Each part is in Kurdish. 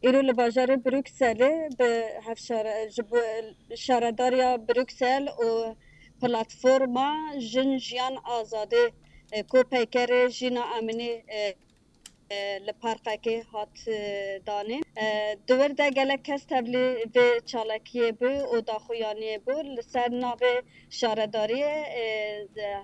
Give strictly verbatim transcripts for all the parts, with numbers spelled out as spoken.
Îro li bajarê Brukselê bi hevşare-, ji bo şaredariya Bruksel û platforma Jin Jiyan Azadî, e, ku peykerê Jîna Amînî, e, e, li parkekê hat, e, danîn. E, di wir de gelek kes tevlî vê çalakiyê bû û daxuyaniyê bû. Li ser navê şaredariyê, e,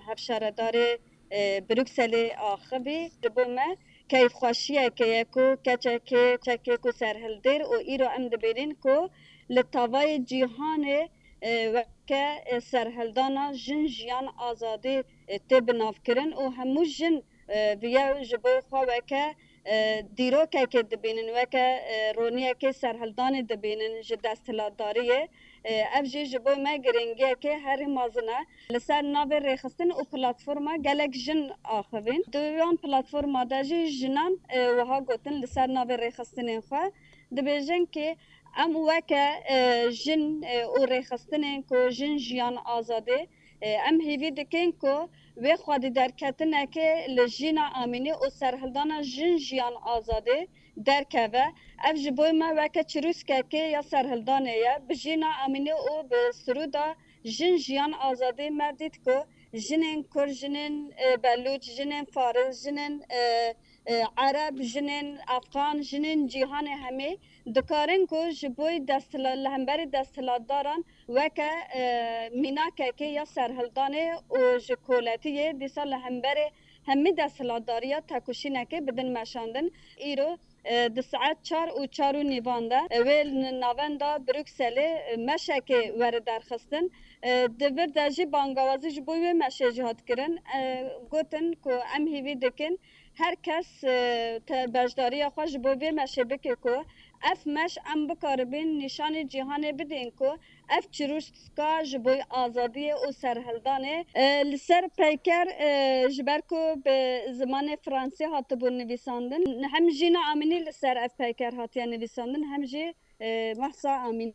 hevşaredarê, e, Brukselê axivî. Ji bo me keyfxweşiyeke ye ku keçekê, keçekê ku serhildêr û îro em dibînin ku li tavayê cîhanê, e, weke, e, serhildana Jin Jiyan Azadî, e, tê binavkirin û hemû jin, e, viya ji bo xwe weke, e, dîrokekê dibînin, weke, e, roniyekê serhildanê dibînin ji desthilatdariyê. E, ev jî ji bo me giringiyekê herî mezin e. Li ser navê rêxistin û platforma gelek jin axivîn. Di wan platforma de jî jinan, e, wiha gotin li ser navê rêxistinên xwe, dibêjin ku em weke, e, jin, e, û rêxistinên ku Jin Jiyan Azadî, e, em hêvî dikin ku wê xwedîderketinekê li Jîna Amînî û serhildana Jin Jiyan Azadî derkeve. Ev ji bo me weke çirûskekê ya serhildanê ye. Bi Jîna Amînî û bi sirûda Jin Jiyan Azadî me dît ku jinên Kurd, jinên, e, Belûç, jinên Faris, jinên, e, e, Ereb, jinên Efxan, jinên cîhanê hemî dikarin ku ji bo desthilat-, li hemberî desthilatdaran weke, e, mînakekê ya serhildanê û ji koletiyê dîsa li hemberê hemî desthilatdariya tekoşînekê bidin meşandin. Îro, e, di saet çar û çar û nîvan de, e, wê li navenda Brukselê, e, meşekê were derxistin. E, di vir de jî bangawazî ji bo wê meşê jî hat kirin. E, gotin ku em hêvî dikin her kes, e, te-, beşdariya xwe ji bo vê meşê bike ku ev meş em bikaribin nîşanî cîhanê bidin ku ev çirûska ji bo azadiyê û serhildanê, e, li ser peyker, e, ji ber ku bi zimanê fransî hatibû nivîsandin, hem Jîna Amînî li ser ev peyker hatiye nivîsandin, hem jî, e, Mahsa Amînî.